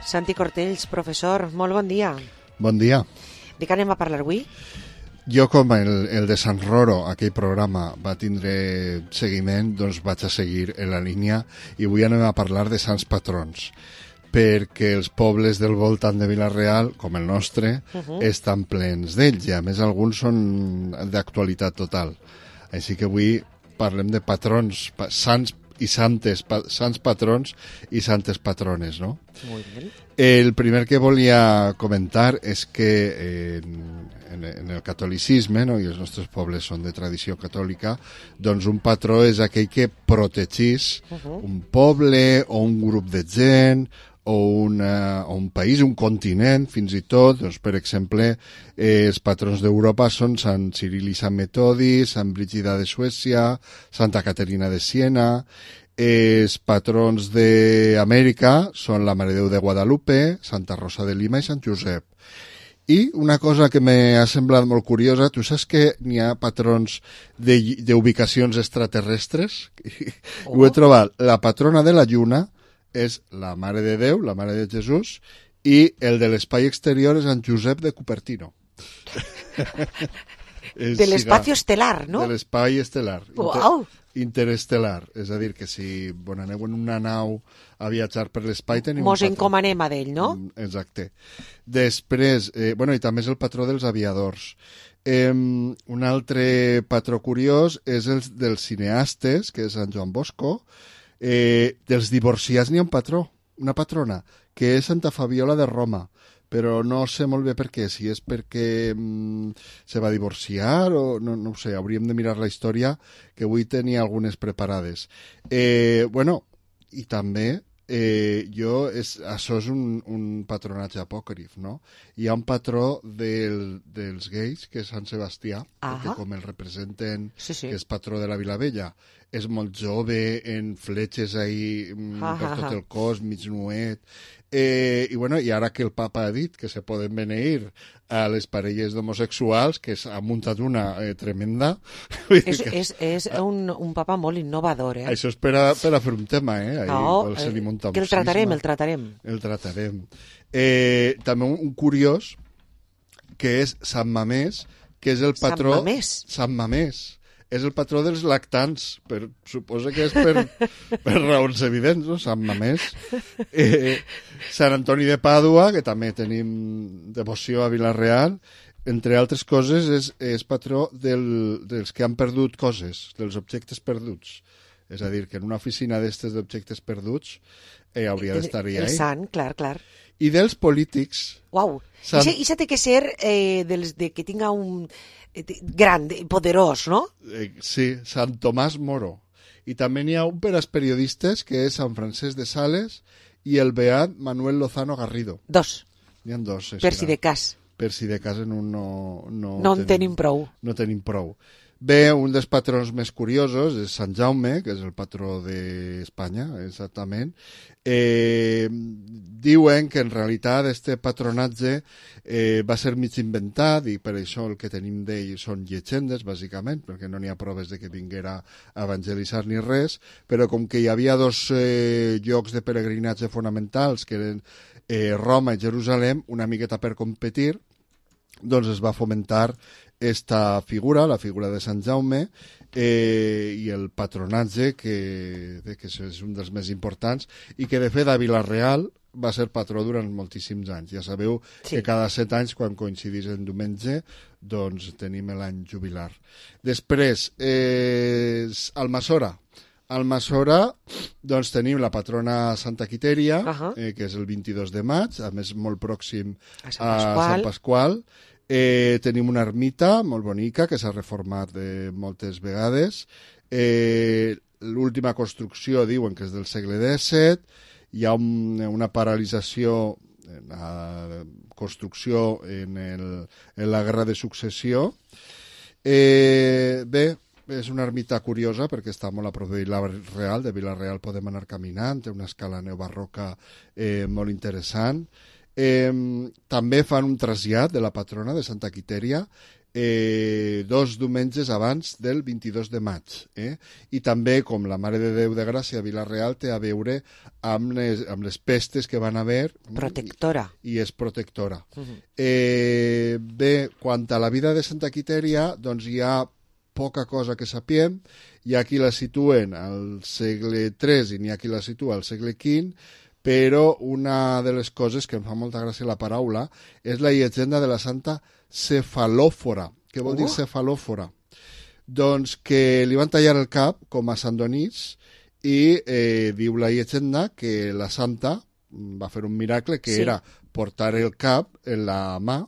Santi Cortells, professor, molt bon dia. Bon dia. De què anem a parlar avui? Jo, com el de Sant Roro, aquell programa, va tindre seguiment, doncs vaig a seguir en la línia i avui anem a parlar de sants patrons, perquè els pobles del voltant de Vila-real, com el nostre, estan plens d'ells i a més alguns són d'actualitat total. Així que avui parlem de patrons, sants i santes, sants patrons i santes patrones, no? Molt bé. El primer que volia comentar és que en el catolicisme, no, i els nostres pobles són de tradició catòlica, doncs un patró és aquell que protegís un poble o un grup de gent o un país, un continent, fins i tot, doncs, per exemple, els patrons d'Europa són Sant Ciril i Sant Metodi, Sant Brígida de Suècia, Santa Caterina de Siena. Els patrons d'Amèrica són la Mare de Déu de Guadalupe, Santa Rosa de Lima i Sant Josep. I una cosa que m'ha semblat molt curiosa, tu saps que n'hi ha patrons d'ubicacions extraterrestres? Ho he trobat. La patrona de la Lluna és la Mare de Déu, la Mare de Jesús, i el de l'espai exterior és en Josep de Cupertino. De l'espai estel·lar, no? De l'espai estel·lar. Uau! Interestel·lar. És a dir, que si aneu en una nau a viatjar per l'espai tenim Mos encomanem a d'ell, no? Exacte. Després, i també és el patró dels aviadors. Un altre patró curiós és el dels cineastes, que és Sant Joan Bosco. Dels divorciats n'hi ha un patró, una patrona, que és Santa Fabiola de Roma, però no sé molt bé per què, si és perquè se va divorciar o no ho sé, hauríem de mirar la història, que avui tenia algunes preparades. I també això és un patronatge apòcrif, no? Hi ha un patró dels gais, que és Sant Sebastià, perquè com el representen, que és patró de la Vilavella, és molt jove, en fletxes ahí per tot el cos, mig nuet. I ara que el papa ha dit que se poden beneir a les parelles d'homosexuals, que s'ha muntat una tremenda. És un papa molt innovador, eh? Això és per a fer un tema, eh? Que el tratarem. El tratarem. També un curiós, que és Sant Mamés, que és el patró... Sant Mamés. És el patró dels lactants, suposa que és per raons evidents, no? Sant Mamés. Sant Antoni de Pàdua, que també tenim devoció a Vila-real, entre altres coses és patró dels que han perdut coses, dels objectes perduts. És a dir, que en una oficina d'estes d'objectes perduts hauria d'estar-hi. El sant, clar. I dels polítics... Uau! I això té que ser que tinga un gran, poderós, no? Sí, Sant Tomàs Moro. I també n'hi ha un per als periodistes, que és Sant Francesc de Sales i el beat Manuel Lozano Garrido. Dos. N'hi ha dos. Per si de cas. Per si de cas en un no en tenim prou. No tenim prou. Bé, un dels patrons més curiosos és Sant Jaume, que és el patró d'Espanya, exactament. Diuen que en realitat este patronatge va ser mig inventat i per això el que tenim d'ell són llegendes, bàsicament, perquè no n'hi ha proves de que vinguera a evangelitzar ni res, però com que hi havia dos llocs de peregrinatge fonamentals, que eren Roma i Jerusalem, una miqueta per competir, doncs es va fomentar esta figura, la figura de Sant Jaume, i el patronatge, que és un dels més importants, i que de fet a Vila-real va ser patró durant moltíssims anys. Ja sabeu que cada 7 anys, quan coincidís en diumenge, doncs tenim l'any jubilar. Després, Almassora. Almassora, doncs tenim la patrona Santa Quitèria, que és el 22 de maig, a més molt pròxim a Sant Pasqual. Tenim una ermita molt bonica que s'ha reformat moltes vegades. L'última construcció diuen que és del segle XVII. Hi ha una paralització en la construcció en la Guerra de Successió. Bé, és una ermita curiosa perquè està molt a prop de Vila-real. De Vila-real podem anar caminant, té una escala neobarroca molt interessant. També fan un trasllat de la patrona de Santa Quitèria 2 diumenges abans del 22 de maig. I també, com la Mare de Déu de Gràcia a Vila-real té a veure amb les pestes que van haver. Protectora. I és protectora. Bé, quant a la vida de Santa Quitèria, doncs hi ha poca cosa que sapiem. Hi ha qui la situen al segle III i n'hi ha qui la situa al segle V, però una de les coses que em fa molta gràcia la paraula és la llegenda de la Santa Cefalòfora. Què vol dir cefalòfora? Doncs que li van tallar el cap, com a Sant Donís, i diu la llegenda que la Santa va fer un miracle que era portar el cap en la mà,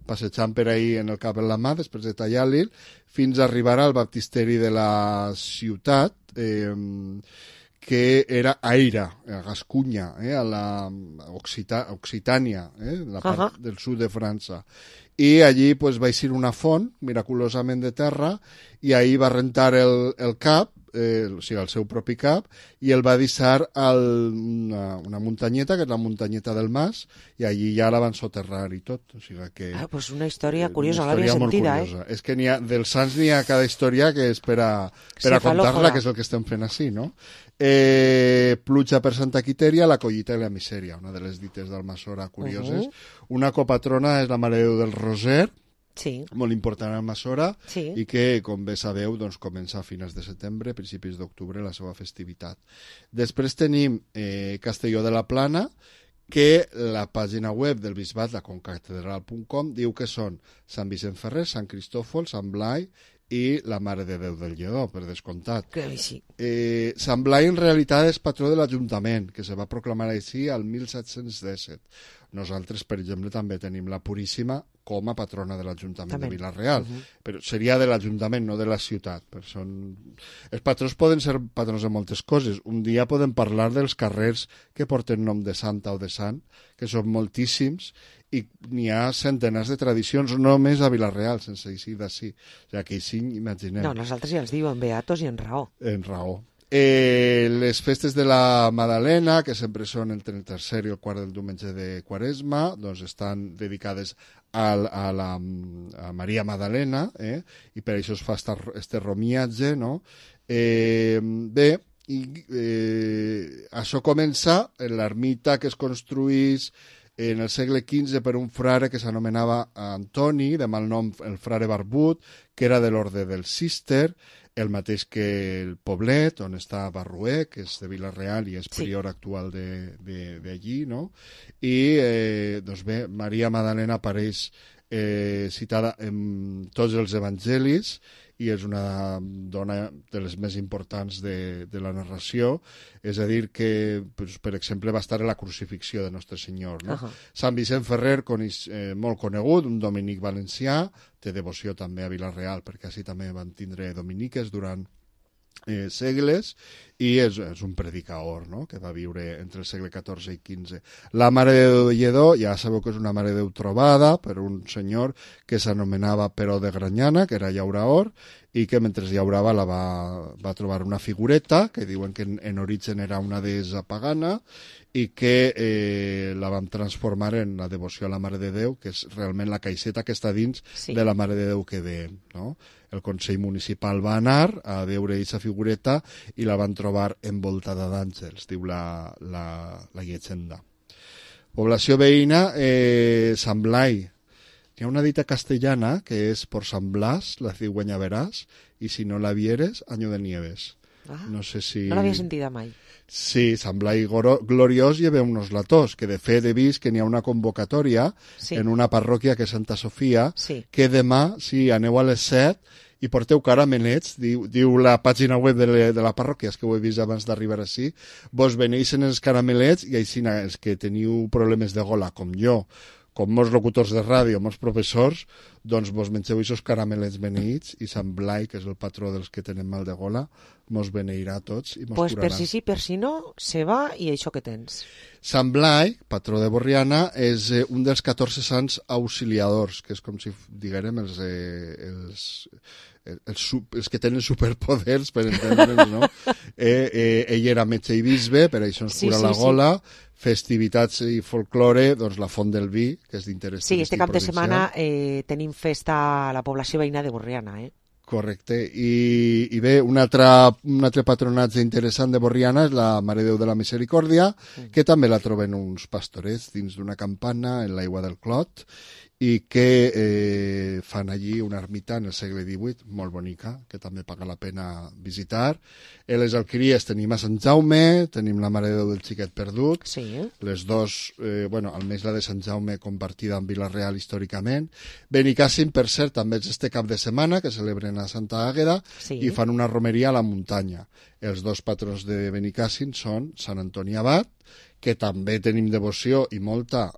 passejant per ahir en el cap en la mà, després de tallar-li, fins a arribar al baptisteri de la ciutat, que era Aira, a Gascunya, a la Occitània, la part del sud de França. I allí pues, va eixir una font, miraculosament de terra, i ahir va rentar el cap, o sigui, el seu propi cap, i el va deixar a una muntanyeta, que és la muntanyeta del Mas, i allí ja la van soterrar i tot. O sigui que... pues una història curiosa, l'havia sentida, És que dels sants n'hi ha cada història que és per a contar-la, que és el que estem fent així, no? Pluja per Santa Quitèria, la collita i la misèria, una de les dites d'Almassora curioses. Una copatrona és la Mare de Déu del Roser, molt important a Almassora, i que, com bé sabeu, doncs, comença a finals de setembre, principis d'octubre, la seva festivitat. Després tenim Castelló de la Plana, que la pàgina web del bisbat, la concatedral.com, diu que són Sant Vicent Ferrer, Sant Cristòfol, Sant Blai i la Mare de Déu del Lledó, per descomptat. Sant Blai en realitat és patró de l'Ajuntament, que se va proclamar així al 1717. Nosaltres, per exemple, també tenim la Puríssima com a patrona de l'Ajuntament de Vila-real, però seria de l'Ajuntament, no de la ciutat. Els patrons poden ser patrons de moltes coses. Un dia podem parlar dels carrers que porten nom de santa o de sant, que són moltíssims, i n'hi ha centenars de tradicions només a Vila-real, sense eixir d'ací. O sigui, que així, imaginem. No, nosaltres ja els diuen beatos i en raó. En raó. Les festes de la Madalena, que sempre són entre el tercer i el quart del diumenge de Quaresma, doncs estan dedicades a Maria Madalena, i per això es fa este romiatge, no? Bé, això comença en l'ermita que es construís en el segle XV per un frare que s'anomenava Antoni, de mal nom el frare Barbut, que era de l'orde del Cister, el mateix que el poblet, on està Barruer, que és de Vila-real i és prior actual d'allí, no? I, doncs bé, Maria Madalena apareix citada en tots els evangelis i és una dona de les més importants de la narració, és a dir que, per exemple, va estar a la crucifixió de Nostre Senyor, no? Sant Vicent Ferrer, molt conegut, un dominic valencià, té devoció també a Vila-real, perquè així també van tindre dominiques durant segles, i és un predicador, no?, que va viure entre el segle XIV i XV. La Mare de Déu de Lledó, ja sabeu que és una Mare de Déu trobada per un senyor que s'anomenava Peró de Granyana, que era llauraor, i que mentre llaurava va trobar una figureta, que diuen que en origen era una deessa pagana, i que la van transformar en la devoció a la Mare de Déu, que és realment la caixeta que està dins de la Mare de Déu que ve, no? El Consell Municipal va anar a veure aquesta figureta i la van trobar envoltada d'àngels, diu la llegenda. Població veïna, Sant Blai. Hi ha una dita castellana que és por San Blas, la cigüeña verás, i si no la vieres, año de nieves. No sé si... No l'havia sentida mai. Sí, Sant Blai gloriós lleva unos latós, que de fet he vist que n'hi ha una convocatòria en una parròquia que és Santa Sofia, que demà, si aneu a les 7 i porteu caramelets, diu la pàgina web de la parròquia, és que ho he vist abans d'arribar així, vos veneixen els caramelets i així els que teniu problemes de gola, com jo, com molts locutors de ràdio, molts professors, doncs vos mengeu aquests caramelets beneïts i Sant Blai, que és el patró dels que tenen mal de gola, mos beneirà a tots i mos curarà. Per si sí, per si no, se va i això que tens. Sant Blai, patró de Borriana, és un dels 14 sants auxiliadors, que és com si diguérem els que tenen superpoders, per entendre'ns, no? Ell era metge i bisbe, per això ens cura la gola, festivitats i folklore, doncs la Font del Vi, que és d'interès turístic provincial. Sí, este cap de setmana tenim festa a la població veïna de Borriana, Correcte. I bé, un altre patronatge interessant de Borriana és la Mare de Déu de la Misericòrdia, que també la troben uns pastorets dins d'una campana en l'aigua del Clot, i que fan allí una ermita en el segle XVIII, molt bonica, que també paga la pena visitar. A les Alqueries tenim a Sant Jaume, tenim la Mare de Déu del Xiquet Perdut, les dos, almenys la de Sant Jaume compartida amb Vila-real històricament. Benicàssim, per cert, també és este cap de setmana, que celebren a Santa Àgueda, i fan una romeria a la muntanya. Els dos patrons de Benicàssim són Sant Antoni Abat, que també tenim devoció i molta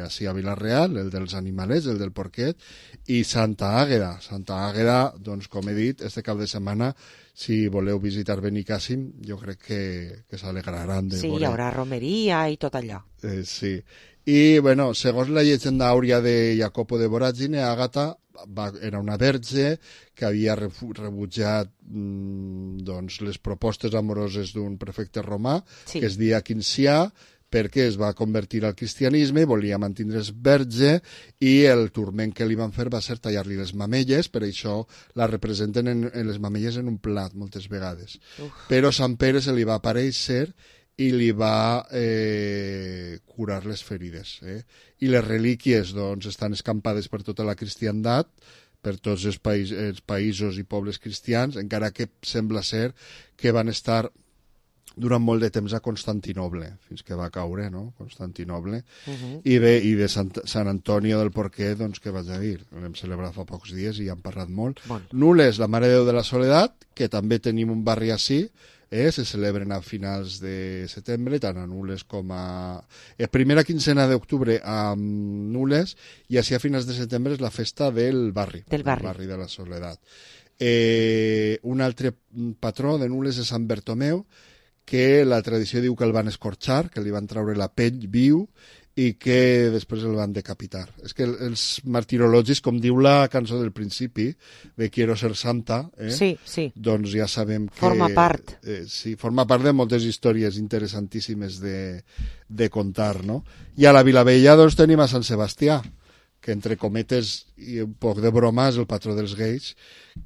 així a Vila-real, el dels animalets, el del porquet, i Santa Àgueda. Santa Àgueda, doncs, com he dit, este cap de setmana, si voleu visitar Benicàssim, jo crec que s'alegraran de veure. Sí, hi haurà romeria i tot allò. Sí. I, segons la llegenda àuria de Jacopo de Voragine, Àgata era una verge que havia rebutjat les propostes amoroses d'un prefecte romà, que es deia Quincià, perquè es va convertir al cristianisme i volia mantindre's verge, i el turment que li van fer va ser tallar-li les mamelles, per això la representen en les mamelles en un plat moltes vegades. Però Sant Pere se li va aparèixer i li va curar les ferides. I les relíquies estan escampades per tota la cristiandat, per tots els països i pobles cristians, encara que sembla ser que van estar durant molt de temps a Constantinoble, fins que va caure, no?, Constantinoble. I bé, i de Sant Antonio del Porquet, doncs, què vaig a dir? L'hem celebrat fa pocs dies i han parlat molt. Nules, la Mare de Déu de la Soledat, que també tenim un barri així, se celebren a finals de setembre, tant a Nules com a... primera quincena d'octubre a Nules, i així a finals de setembre és la festa del barri. Del barri de la Soledat. Un altre patró de Nules és Sant Bertomeu, que la tradició diu que el van escorxar, que li van treure la pell viu i que després el van decapitar. És que els martirologis, com diu la cançó del principi, de Quiero ser santa, doncs ja sabem que... Forma part. Sí, forma part de moltes històries interessantíssimes de contar, no? I a la Vilavella doncs tenim a Sant Sebastià, que entre cometes i un poc de broma és el patró dels gais,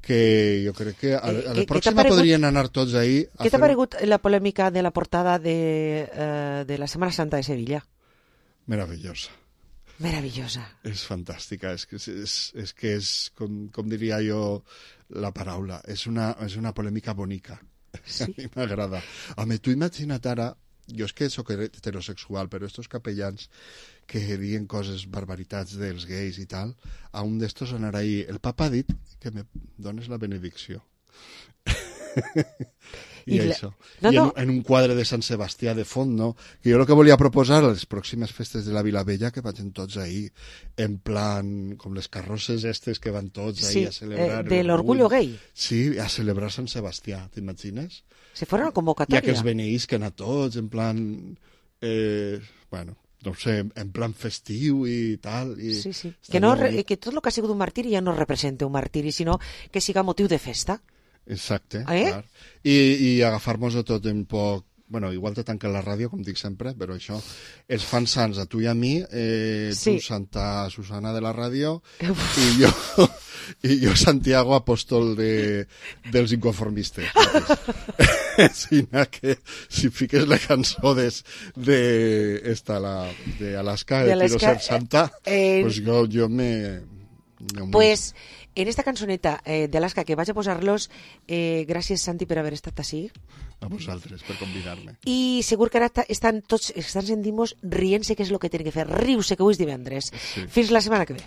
que jo crec que a la pròxima podrien anar tots ahí. Què t'ha paregut la polèmica de la portada de la Setmana Santa de Sevilla? Meravellosa. Meravellosa. És fantàstica, és que és com diria jo la paraula, és una polèmica bonica. Sí. A mi m'agrada. Home, tu imagina't ara, jo és que soc heterosexual, però estos capellans que diuen coses, barbaritats dels gais i tal, a un d'estos anar ahí, el papa ha dit que me dones la benedicció. I això. En un quadre de Sant Sebastià de font, no? Que jo el que volia proposar a les pròximes festes de la Vilavella que vagin tots ahí, en plan, com les carrosses estes que van tots ahí a celebrar... de l'orgullo gay. Sí, a celebrar Sant Sebastià, t'imagines? Si fora una convocatòria. I aquells beneïsquen a tots, en plan... no sé, en plan festiu i tal. Sí. Que tot el que ha sigut un martiri ja no representa un martiri, sinó que siga motiu de festa. Exacte, clar. I agafar-nos-ho tot un poc... igual te tanquen la ràdio, com dic sempre, però això, els fan sants a tu i a mi, tu Santa Susana de la ràdio, i jo Santiago, apòstol dels inconformistes. Si fiques la cançó d'Alaska, de Quiero ser santa, pues jo me... Pues en esta cançoneta d'Alaska que vaig a posar-los, gràcies Santi per haver estat així. A vosaltres per convidar-me. I segur que ara estan sentint-nos rient-se, que és el que tenen que fer, riu-se, que avui és divendres. Fins la setmana que ve.